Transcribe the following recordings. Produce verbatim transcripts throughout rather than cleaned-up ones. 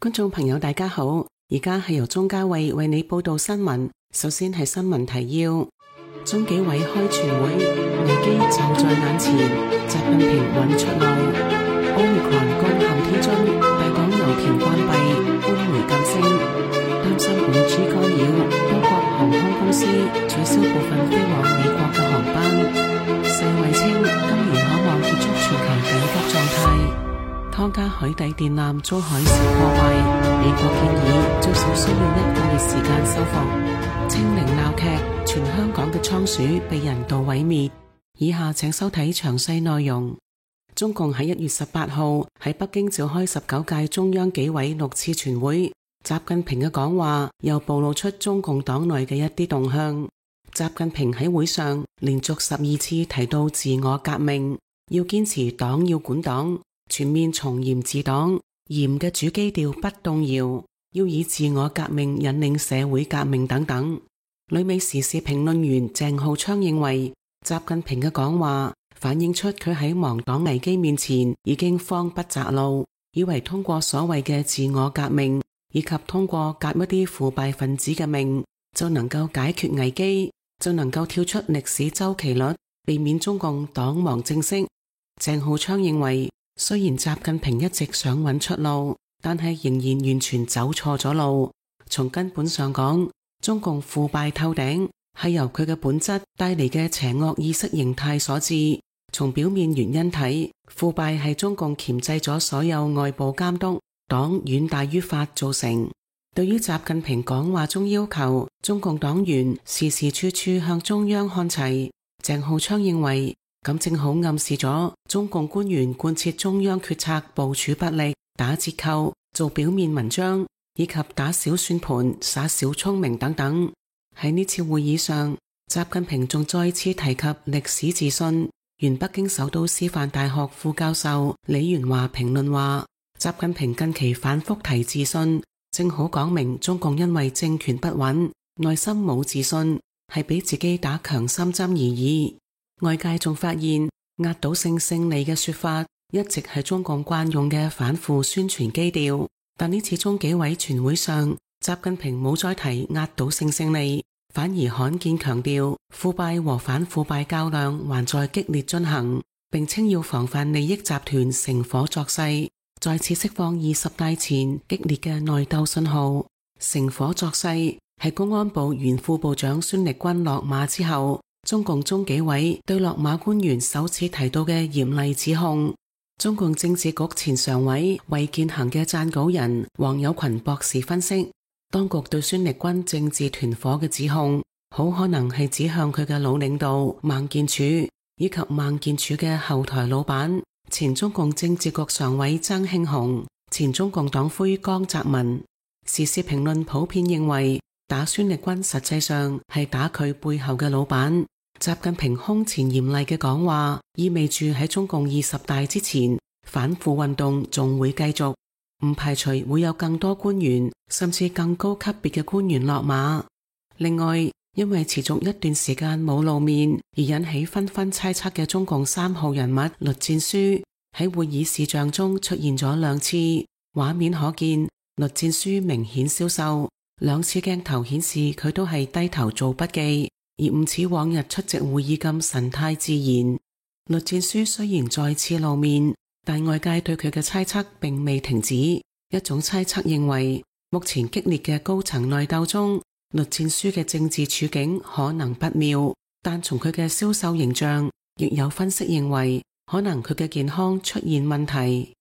觀眾朋友大家好，而家係由鍾嘉慧為你報道新聞。首先係新聞提要：中紀委開全會，危機就在眼前，習近平揾出路。Omicron攻陷天津，大港油田關閉，官媒噤聲，擔心五 G 干擾，多國航空公司取消部分飛往美國嘅航班。世衛稱今年可望結束全球緊急狀態。湯加海底電纜遭海嘯破壞，美國建議最少需要一個月時間修復。清零鬧劇，全香港嘅倉鼠被人道毀滅。以下請收睇詳細內容。中共喺一月十八號喺北京召開十九屆中央紀委六次全會，習近平嘅講話又暴露出中共黨內嘅一啲動向。習近平喺會上連續十二次提到自我革命，要堅持黨要管黨，全面從嚴治黨，嚴嘅主基調不動搖，要以自我革命引領社會革命等等。旅美時事評論員鄭浩昌認為，習近平嘅講話反映出佢喺亡黨危機面前已經慌不擇路，以為通過所謂嘅自我革命，以及通過革一啲腐敗分子嘅命，就能夠解決危機，就能夠跳出歷史周期率，避免中共黨亡政息。鄭浩昌認為，雖然習近平一直想揾出路，但係仍然完全走錯咗路。從根本上講，中共腐敗透頂係由佢嘅本質帶嚟嘅邪惡意識形態所致。從表面原因睇，腐敗係中共鉗制咗所有外部監督，黨遠大於法造成。對於習近平講話中要求中共黨員時時處處向中央看齊，鄭浩昌認為，咁正好暗示咗中共官員貫徹中央決策部署不力、打折扣、做表面文章，以及打小算盤、耍小聰明等等。喺呢次會議上，習近平仲再次提及歷史自信。原北京首都師範大學副教授李元華評論話，習近平近期反覆提自信，正好講明中共因為政權不穩，內心冇自信，係俾自己打強心針而已。外界仲發現，壓倒性勝利嘅說法一直係中共慣用嘅反腐宣傳基調，但呢次中紀委全會上，習近平冇再提壓倒性勝利，反而罕見強調腐敗和反腐敗較量還在激烈進行，並稱要防範利益集團乘火作勢，再次釋放二十大前激烈嘅內鬥信號。乘火作勢係公安部原副部長孫力軍落馬之後，中共中紀委對落馬官員首次提到嘅嚴厲指控。中共政治局前常委衛健行嘅撰稿人黃有群博士分析，當局對孫力軍政治團伙嘅指控，好可能係指向佢嘅老領導孟建柱，以及孟建柱嘅後台老闆前中共政治局常委曾慶紅、前中共黨魁江澤民。時事評論普遍認為，打孫力軍實際上係打佢背後嘅老闆。習近平空前嚴厲嘅講話，意味住喺中共二十大之前，反腐運動仲會繼續，唔排除會有更多官員，甚至更高級別嘅官員落馬。另外，因為持續一段時間冇露面而引起紛紛猜測嘅中共三號人物栗戰書，喺會議視像中出現咗兩次，畫面可見栗戰書明顯消瘦，兩次鏡頭顯示佢都係低頭做筆記，而唔似往日出席會議咁神態自然。栗戰書雖然再次露面，但外界對佢嘅猜測並未停止。一種猜測認為，目前激烈嘅高層內鬥中，栗戰書嘅政治處境可能不妙，但從佢嘅消瘦形象，亦有分析認為，可能佢嘅健康出現問題。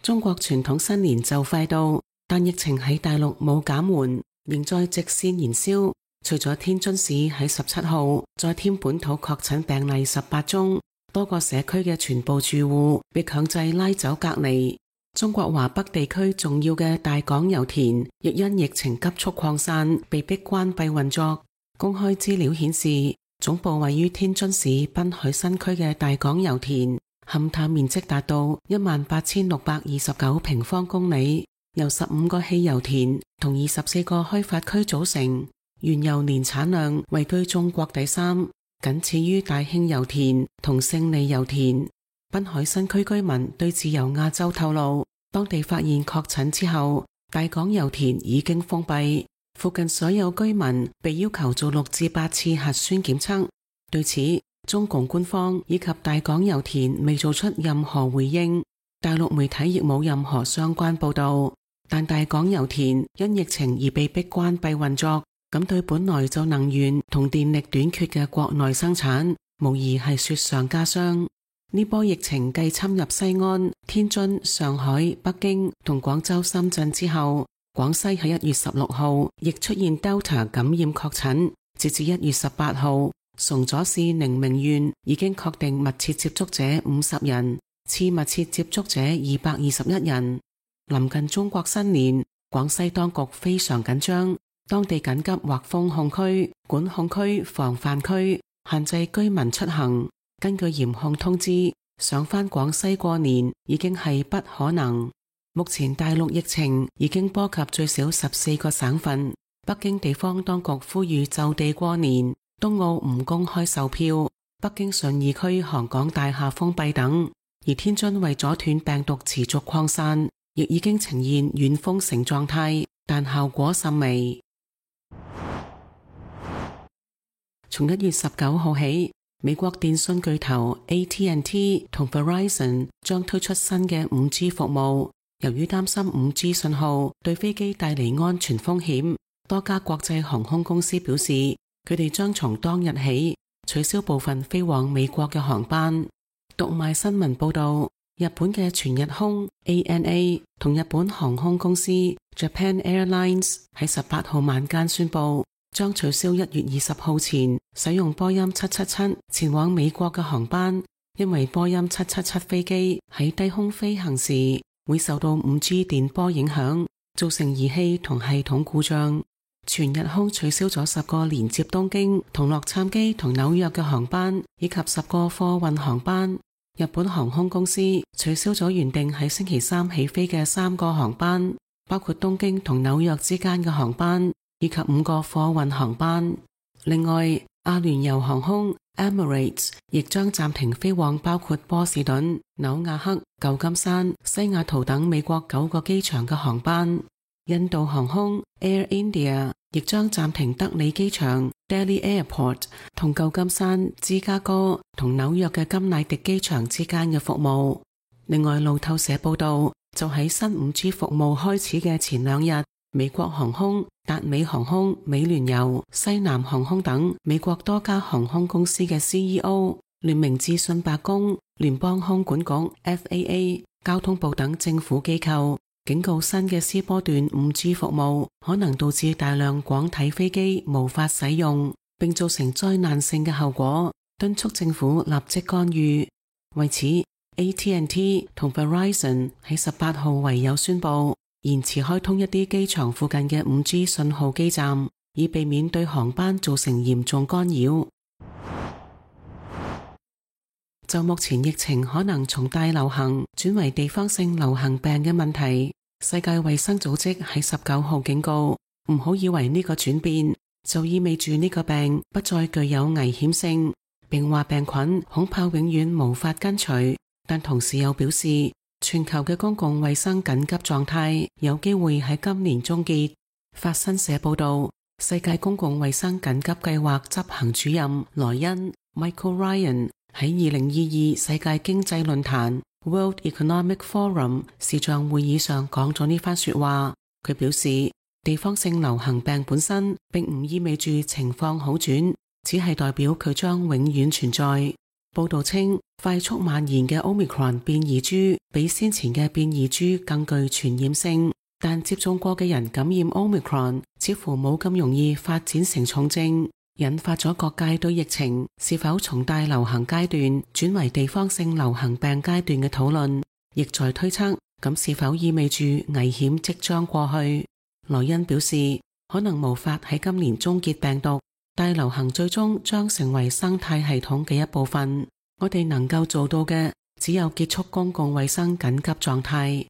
中國傳統新年就快到，但疫情喺大陸冇減緩，仍在直線燃燒。除咗天津市喺十七號再添本土確診病例十八宗，多個社區嘅全部住戶被強制拉走隔離。中國華北地區重要嘅大港油田亦因疫情急速擴散，被迫關閉運作。公開資料顯示，總部位於天津市濱海新區嘅大港油田，勘探面積達到一萬八千六百二十九平方公里，由十五個汽油田同二十四個開發區組成。原油年產量位居中國第三，僅次於大興油田同勝利油田。濱海新區居民對自由亞洲透露，當地發現確診之後，大港油田已經封閉，附近所有居民被要求做六至八次核酸檢測。對此，中共官方以及大港油田未做出任何回應，大陸媒體亦冇任何相關報道。但大港油田因疫情而被迫關閉運作，咁對本來就能源同電力短缺嘅國內生產，無疑係雪上加霜。呢波疫情繼侵入西安、天津、上海、北京同廣州、深圳之後，廣西喺一月十六號亦出現 Delta 感染確診。截至一月十八號，崇左市寧明縣已經確定密切接觸者五十人，次密切接觸者二百二十一人。臨近中國新年，廣西當局非常緊張，當地緊急劃封控區、管控區、防範區，限制居民出行。根據嚴控通知，想返廣西過年已經係不可能。目前大陸疫情已經波及最少十四個省份。北京地方當局呼籲就地過年，冬奧唔公開售票，北京順義區航港大廈封閉等。而天津為阻斷病毒持續擴散，亦已經呈現軟封城狀態，但效果甚微。從一月十九號起，美國電信巨頭 A T and T 同 Verizon 將推出新嘅 五 G 服務。由於擔心 五 G 信號對飛機帶嚟安全風險，多家國際航空公司表示，佢哋將從當日起取消部分飛往美國嘅航班。讀賣新聞報道，日本嘅全日空 A N A 同日本航空公司 Japan Airlines 喺十八號晚間宣布，將取消一月二十號前使用波音七七七前往美國嘅航班，因為波音七七七飛機喺低空飛行時會受到 五 G 電波影響，造成儀器同系統故障。全日空取消咗十個連接東京同洛杉磯同紐約嘅航班，以及十個貨運航班。日本航空公司取消咗原定喺星期三起飛嘅三個航班，包括東京同紐約之間嘅航班，以及五個貨運航班。另外，阿聯酋航空 Emirates 亦將暫停飛往包括波士頓、紐亞克、舊金山、西雅圖等美國九個機場嘅航班。印度航空 Air India 亦將暫停德里機場 Delhi Airport 同舊金山、芝加哥同紐約嘅甘迺迪機場之間嘅服務。另外，路透社報道，就喺新 五 G 服務開始嘅前兩日，美國航空、達美航空、美聯郵、西南航空等美國多家航空公司嘅 C E O 聯名致信白宮、聯邦空管局 F A A、交通部等政府機構，警告新嘅 C 波段 五 G 服務可能導致大量廣體飛機無法使用，並造成災難性嘅後果，敦促政府立即干預。為此， A T and T 同 Verizon 喺十八號唯有宣布延遲開通一啲機場附近嘅 五 G 信號基站，以避免對航班造成嚴重干擾。就目前疫情可能從大流行轉為地方性流行病嘅問題，世界衛生組織喺十九號警告，唔好以為呢個轉變就意味住呢個病不再具有危險性，並話病菌恐怕永遠無法根除，但同時又表示全球嘅公共衛生緊急狀態有機會喺今年終結。法新社報道，世界公共衛生緊急計劃執行主任萊恩 Michael Ryan喺二零二二世界經濟論壇 World Economic Forum 視像會議上講咗呢番說話。佢表示，地方性流行病本身並唔意味住情況好轉，只係代表佢將永遠存在。報道稱，快速蔓延嘅 Omicron 變異株比先前嘅變異株更具傳染性，但接種過嘅人感染 Omicron 似乎冇咁容易發展成重症，引發咗各界對疫情是否從大流行階段轉為地方性流行病階段嘅討論，亦在推測咁是否意味住危險即將過去。萊恩表示，可能無法喺今年終結病毒，大流行最終將成為生態系統嘅一部分。我哋能夠做到嘅只有結束公共衛生緊急狀態。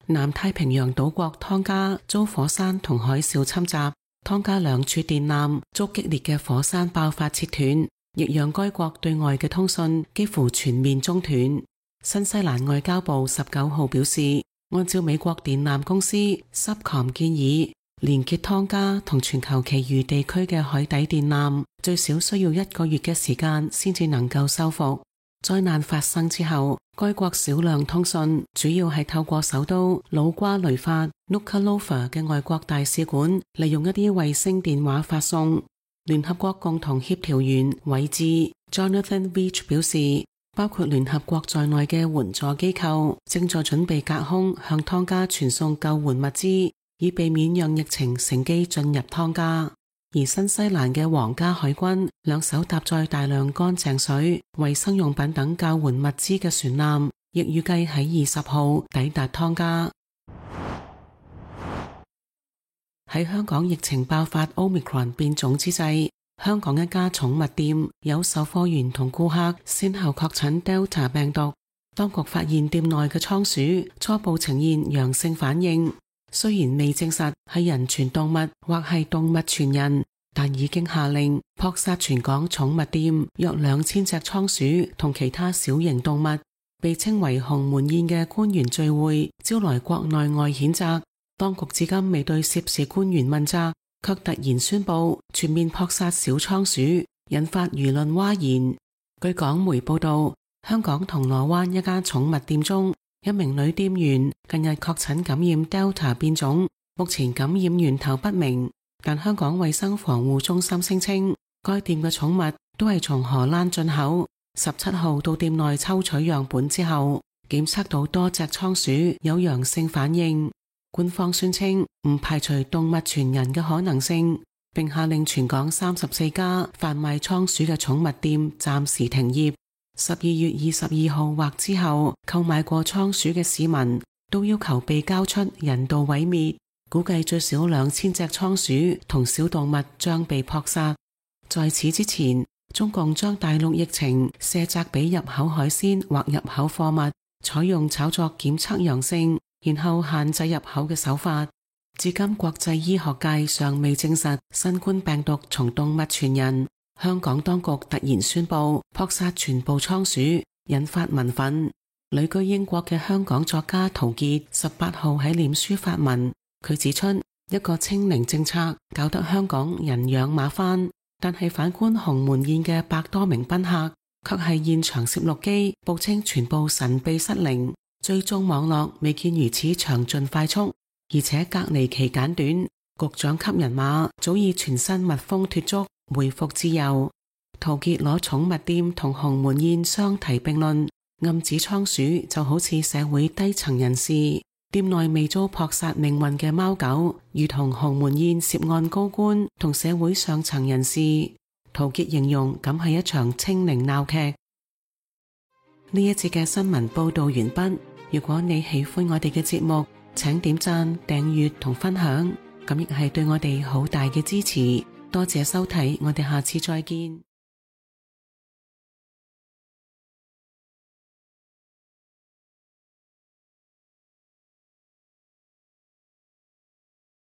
南太平洋島國湯加遭火山同海嘯侵襲，湯加兩處電纜遭激烈嘅火山爆發切斷，亦讓該國對外嘅通訊幾乎全面中斷。新西蘭外交部十九號表示，按照美國電纜公司 Subcom 建議，連結湯加同全球其餘地區嘅海底電纜，最少需要一個月嘅時間先至能夠修復。災難發生之後，該國少量通訊主要係透過首都努瓜雷法 Nuku'alofa 嘅外國大使館，利用一啲衛星電話發送。聯合國共同協調員韋志 Jonathan Veitch 表示，包括聯合國在內嘅援助機構正在準備隔空向湯加傳送救援物資，以避免讓疫情乘機進入湯加。而新西蘭嘅皇家海軍兩艘搭載大量乾淨水、衛生用品等救援物資嘅船艦，亦預計喺二十號抵達湯加。喺香港疫情爆發 Omicron 變種之際，香港一家寵物店有售貨員同顧客先後確診 Delta 病毒，當局發現店內嘅倉鼠初步呈現陽性反應，雖然未證實係人傳動物或係動物傳人，但已經下令撲殺全港寵物店約兩千隻倉鼠同其他小型動物。被稱為鴻門宴嘅官員聚會招來國內外譴責，當局至今未對涉事官員問責，卻突然宣布全面撲殺小倉鼠，引發輿論譁然。據港媒報道，香港銅鑼灣一家寵物店中，一名女店員近日確診感染 Delta 變種，目前感染源頭不明，但香港衛生防護中心聲稱，該店嘅寵物都係從荷蘭進口。十七號到店內抽取樣本之後，檢測到多隻倉鼠有陽性反應。官方宣稱唔排除動物傳人嘅可能性，並下令全港三十四家販賣倉鼠嘅寵物店暫時停業。十二月二十二號或之後購買過倉鼠嘅市民都要求被交出人道毀滅，估計最少兩千隻倉鼠同小動物將被撲殺。在此之前，中共將大陸疫情卸責俾入口海鮮或入口貨物，採用炒作檢測陽性，然後限制入口嘅手法。至今國際醫學界尚未證實新冠病毒從動物傳人。香港當局突然宣布撲殺全部倉鼠，引發民憤。旅居英國嘅香港作家陶傑十八號喺臉書發文，佢指出一個清零政策搞得香港人仰馬翻，但係反觀鴻門宴嘅百多名賓客，卻係現場攝錄機報稱全部神秘失靈，追蹤網絡未見如此詳盡快速，而且隔離期簡短，局長級人馬早已全身密封脫足，回復自由。陶傑攞寵物店同鴻門宴相提並論，暗指倉鼠就好似社會低層人士，店內未遭撲殺命運嘅貓狗，如同鴻門宴涉案高官同社會上層人士。陶傑形容咁係一場清零鬧劇。呢一節嘅新聞報道完畢。如果你喜歡我哋嘅節目，請點讚、訂閱同分享，咁亦係對我哋好大嘅支持。多謝收睇，我哋下次再見。